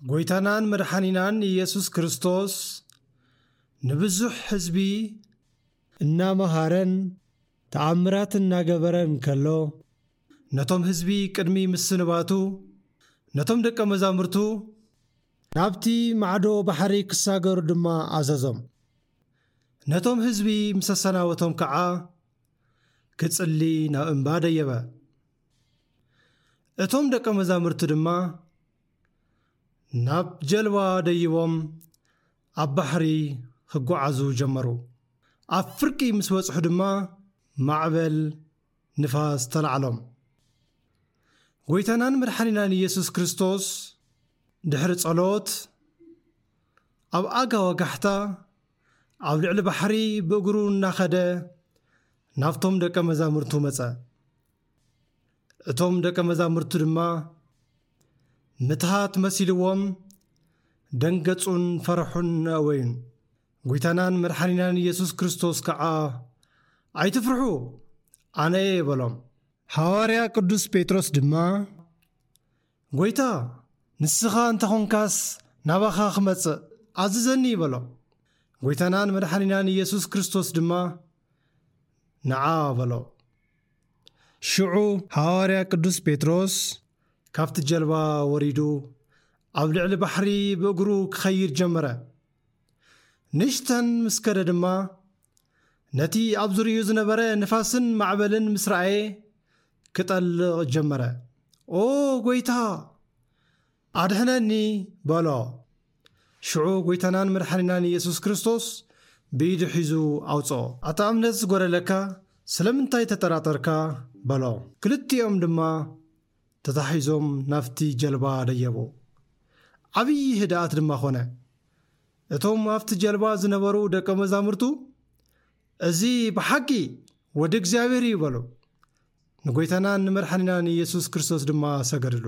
ጎይታናን መድሓኒናን ኢየሱስ ክርስቶስ ንብዙሕ ህዝቢ እናመሃረን ተኣምራት እናገበረን ከሎ፣ ነቶም ህዝቢ ቅድሚ ምስንባቱ፣ ነቶም ደቀ መዛሙርቱ ናብቲ ማዕዶ ባሕሪ ክሳገሩ ድማ ኣዘዞም። ነቶም ህዝቢ ምስ ኣሰናበቶም ከዓ ክጽሊ ናብ እምባ ደየበ። እቶም ደቀ መዛሙርቱ ድማ ናብ ጀልባ ደይቦም ኣብ ባሕሪ ክጓዓዙ ጀመሩ። ኣብ ፍርቂ ምስ በጽሑ ድማ ማዕበል ንፋስ ተላዕሎም። ጎይታናን መድሓኒናን ኢየሱስ ክርስቶስ ድሕሪ ጸሎት ኣብ ኣጋ ወጋሕታ ኣብ ልዕሊ ባሕሪ ብእግሩ እናኸደ ናብቶም ደቀ መዛሙርቱ መጸ። እቶም ደቀ መዛሙርቱ ድማ ምትሃት መሲልዎም ደንገጹን ፈርሑን ኣወዩን። ጎይታናን መድሓኒናን ኢየሱስ ክርስቶስ ከዓ "ኣይትፍርሑ፣ ኣነ እየ" በሎም። ሃዋርያ ቅዱስ ጴጥሮስ ድማ "ጎይታ፣ ንስኻ እንተኾንካስ ናባኻ ክመጽእ ኣዝዘኒ" በሎ። ጎይታናን መድሓኒናን ኢየሱስ ክርስቶስ ድማ "ንዓ" በሎ። ሽዑ ሃዋርያ ቅዱስ ጴጥሮስ ካብቲ ጀልባ ወሪዱ ኣብ ልዕሊ ባሕሪ ብእግሩ ክኸይድ ጀመረ። ንእሽተን ምስ ከደ ድማ ነቲ ኣብ ዙርይኡ ዝነበረ ንፋስን ማዕበልን ምስ ረኣየ ክጠልቕ ጀመረ። "ኦ ጎይታ፣ ኣድሕነኒ" በሎ። ሽዑ ጎይታናን መድሓኒናን ኢየሱስ ክርስቶስ ብኢዱ ሒዙ ኣውፅኦ። "ኣታ እምነት ዝጎደለካ፣ ስለምንታይ ተጠራጠርካ?" በሎ። ክልቲኦም ድማ ተታሒዞም ናብቲ ጀልባ ደየቡ። ዓብዪ ህድኣት ድማ ኾነ። እቶም ኣብቲ ጀልባ ዝነበሩ ደቀ መዛሙርቱ "እዚ ብሓቂ ወዲ እግዚኣብሔር እዩ" በሉ። ንጎይታናን ንመድሓኒናን ኢየሱስ ክርስቶስ ድማ ሰገድሉ።